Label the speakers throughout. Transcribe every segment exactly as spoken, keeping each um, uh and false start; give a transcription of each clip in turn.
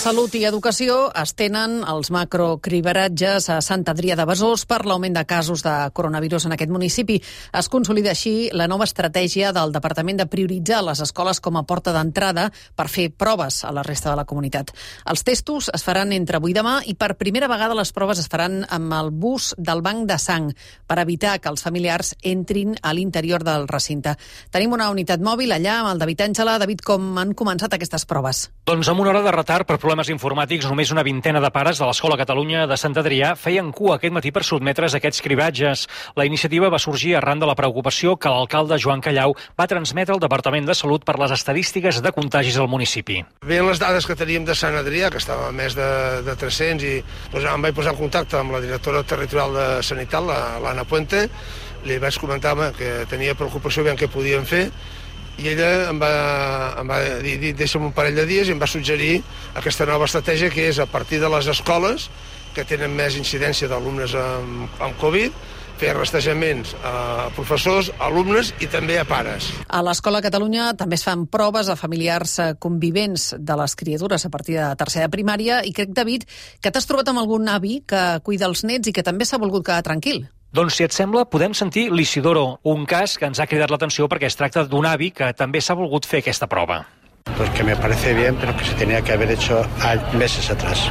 Speaker 1: Salut i Educació estenen els macrocribaratges a Sant Adrià de Besòs per l'augment de casos de coronavirus en aquest municipi. Es consolida així la nova estratègia del Departament de prioritzar les escoles com a porta d'entrada per fer proves a la resta de la comunitat. Els testos es faran entre avui i demà i per primera vegada les proves es faran amb el bus del banc de sang per evitar que els familiars entrin a l'interior del recinte. Tenim una unitat mòbil allà amb el David Àngela. David, com han començat aquestes proves?
Speaker 2: Doncs amb una hora de retard per problemes informàtics, només una vintena de pares de l'Escola Catalunya de Sant Adrià feien cua aquest matí per sotmetre's a aquests cribatges. La iniciativa va sorgir arran de la preocupació que l'alcalde Joan Callau va transmetre al Departament de Salut per les estadístiques de contagis al municipi.
Speaker 3: Veient les dades que teníem de Sant Adrià, que estava a més de, de tres-cents, i doncs, em vaig posar en contacte amb la directora territorial de Sanitat, l'Anna Puente, li vaig comentar que tenia preocupació aviam què podíem fer, i ella em va, em va dir, deixa'm un parell de dies, i em va suggerir aquesta nova estratègia, que és a partir de les escoles que tenen més incidència d'alumnes amb, amb Covid, fer rastejaments a professors, alumnes i també a pares.
Speaker 1: A l'Escola Catalunya també es fan proves a familiars convivents de les criatures a partir de tercera de primària, i crec, David, que t'has trobat amb algun avi que cuida els nets i que també s'ha volgut quedar tranquil.
Speaker 2: Doncs, si et sembla, podem sentir l'Isidoro, un cas que ens ha cridat l'atenció perquè es tracta d'un avi que també s'ha volgut fer aquesta prova.
Speaker 4: Pues que me parece bien, pero que se tenía que haber hecho meses atrás.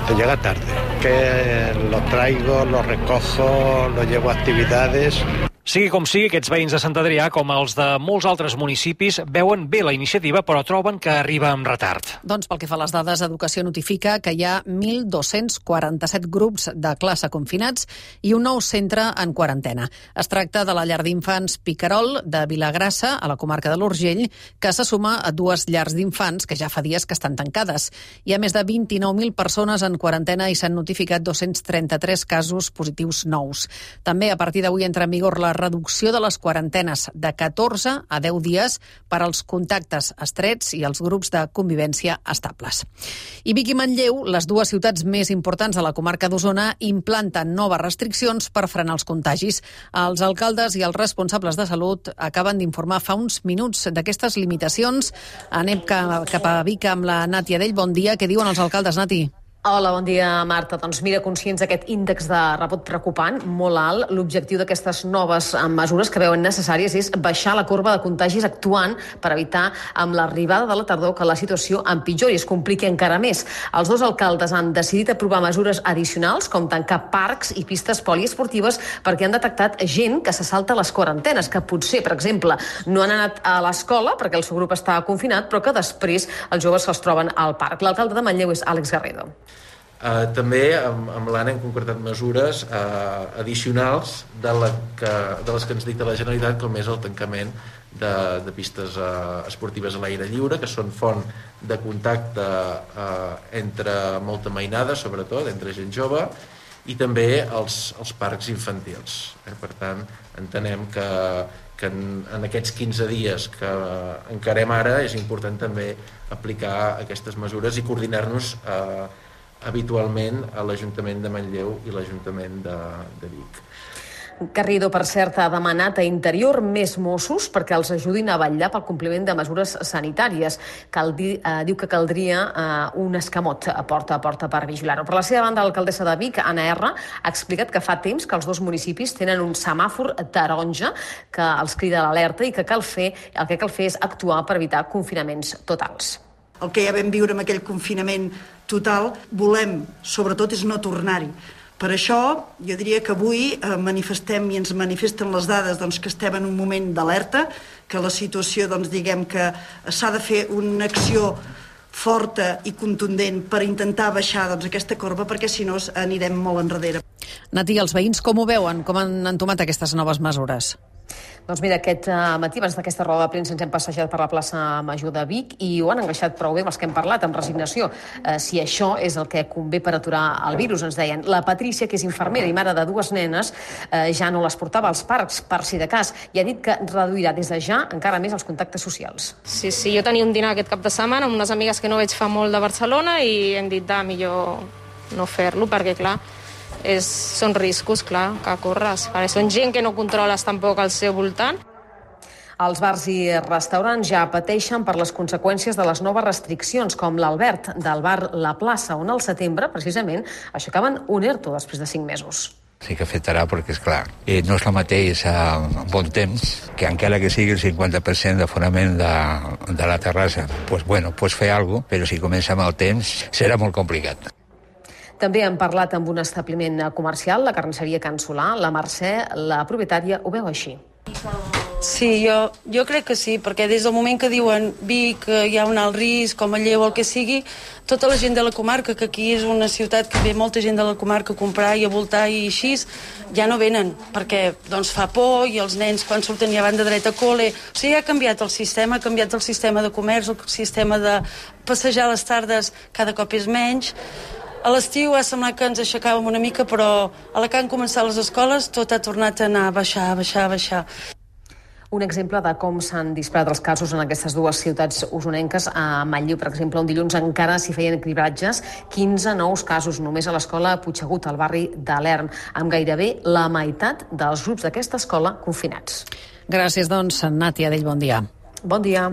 Speaker 4: Te llega tarde. Que lo traigo, lo recojo, lo llevo a actividades.
Speaker 2: Sigui com sigui, aquests veïns de Sant Adrià, com els de molts altres municipis, veuen bé la iniciativa, però troben que arriba amb retard.
Speaker 1: Doncs pel que fa a les dades, Educació notifica que hi ha mil dos-cents quaranta-set grups de classe confinats i un nou centre en quarantena. Es tracta de la llar d'infants Picarol de Vilagrassa, a la comarca de l'Urgell, que se suma a dues llars d'infants que ja fa dies que estan tancades. Hi ha més de vint-i-nou mil persones en quarantena i s'han notificat dos-cents trenta-tres casos positius nous. També a partir d'avui entra en vigor la reducció de les quarantenes de catorze a deu dies per als contactes estrets i els grups de convivència estables. I Vic i Manlleu, les dues ciutats més importants de la comarca d'Osona, implanten noves restriccions per frenar els contagis. Els alcaldes i els responsables de salut acaben d'informar fa uns minuts d'aquestes limitacions. Anem cap a Vic amb la Nàtia Dell. Bon dia. Què diuen els alcaldes, Nati?
Speaker 5: Hola, bon dia, Marta. Doncs mira, conscients d'aquest índex de rebot preocupant, molt alt, l'objectiu d'aquestes noves mesures que veuen necessàries és baixar la corba de contagis actuant per evitar amb l'arribada de la tardor que la situació empitjori i es compliqui encara més. Els dos alcaldes han decidit aprovar mesures addicionals com tancar parcs i pistes poliesportives perquè han detectat gent que se salta les quarantenes, que potser, per exemple, no han anat a l'escola perquè el seu grup està confinat, però que després els joves se'ls troben al parc. L'alcalde de Manlleu és Àlex Garrido.
Speaker 6: Uh, també amb, amb l'Anna hem concretat mesures uh, addicionals de, la que, de les que ens dicta la Generalitat, com és el tancament de, de pistes uh, esportives a l'aire lliure, que són font de contacte uh, entre molta mainada, sobretot, entre gent jove, i també els, els parcs infantils. Eh? Per tant, entenem que, que en, en aquests quinze dies que encarem ara és important també aplicar aquestes mesures i coordinar-nos uh, habitualment a l'Ajuntament de Manlleu i l'Ajuntament de, de Vic.
Speaker 5: Garrido, per cert, ha demanat a Interior més Mossos perquè els ajudin a vetllar pel compliment de mesures sanitàries. Cal dir, eh, diu que caldria eh, un escamot a porta a porta per vigilar-ho. Per la seva banda, l'alcaldessa de Vic, Anna R, ha explicat que fa temps que els dos municipis tenen un semàfor taronja que els crida a l'alerta i que cal fer, el que cal fer és actuar per evitar confinaments totals.
Speaker 7: El que ja vam viure amb aquell confinament total, volem, sobretot, és no tornar-hi. Per això, jo diria que avui eh, manifestem i ens manifesten les dades doncs, que estem en un moment d'alerta, que la situació, doncs, diguem que s'ha de fer una acció forta i contundent per intentar baixar doncs, aquesta corba, perquè si no anirem molt enrere.
Speaker 1: Nati, els veïns com ho veuen? Com han entomat aquestes noves mesures?
Speaker 5: Doncs mira, aquest uh, matí, abans d'aquesta roda de premsa, ens hem passejat per la plaça Major de Vic i ho han engreixat prou bé amb els que hem parlat, amb resignació. Uh, si això és el que convé per aturar el virus, ens deien. La Patrícia, que és infermera i mare de dues nenes, uh, ja no les portava als parcs, per si de cas, i ha dit que reduirà des de ja encara més els contactes socials.
Speaker 8: Sí, sí, jo tenia un dinar aquest cap de setmana amb unes amigues que no veig fa molt de Barcelona i hem dit, de millor no fer-lo, perquè, clar, És, són riscos, clar, que corres. Perquè són gent que no controles tampoc al seu voltant.
Speaker 5: Els bars i restaurants ja pateixen per les conseqüències de les noves restriccions, com l'Albert, del bar La Plaça, on al setembre, precisament, aixecaven un ERTO després de cinc mesos.
Speaker 9: Sí que afectarà perquè, esclar, eh, no és el mateix a bon temps, que encara que sigui el cinquanta per cent d'aforament de, de la terrassa, pues, bueno, pues fer alguna cosa, però si comença amb el temps serà molt complicat.
Speaker 5: També hem parlat amb un establiment comercial, la carnisseria Can Solà. La Mercè, la propietària, ho veu així.
Speaker 10: Sí, jo, jo crec que sí, perquè des del moment que diuen Vic, que hi ha un alt risc, com a Lleu, el que sigui, tota la gent de la comarca, que aquí és una ciutat que ve molta gent de la comarca a comprar i a voltar i així, ja no venen, perquè doncs, fa por i els nens quan surten ja van de dret a col·le. O sigui, ha canviat el sistema, ha canviat el sistema de comerç, el sistema de passejar a les tardes cada cop és menys. A l'estiu ha semblat que ens aixecàvem una mica, però a la que han començat les escoles tot ha tornat a anar a baixar, a baixar, a baixar.
Speaker 5: Un exemple de com s'han disparat els casos en aquestes dues ciutats usonenques. A Manlleu, per exemple, un dilluns encara s'hi feien cribratges, quinze nous casos només a l'escola Puigsegut, al barri de l'Erm, amb gairebé la meitat dels grups d'aquesta escola confinats.
Speaker 1: Gràcies, doncs, Nàtia Dell, bon dia.
Speaker 5: Bon dia.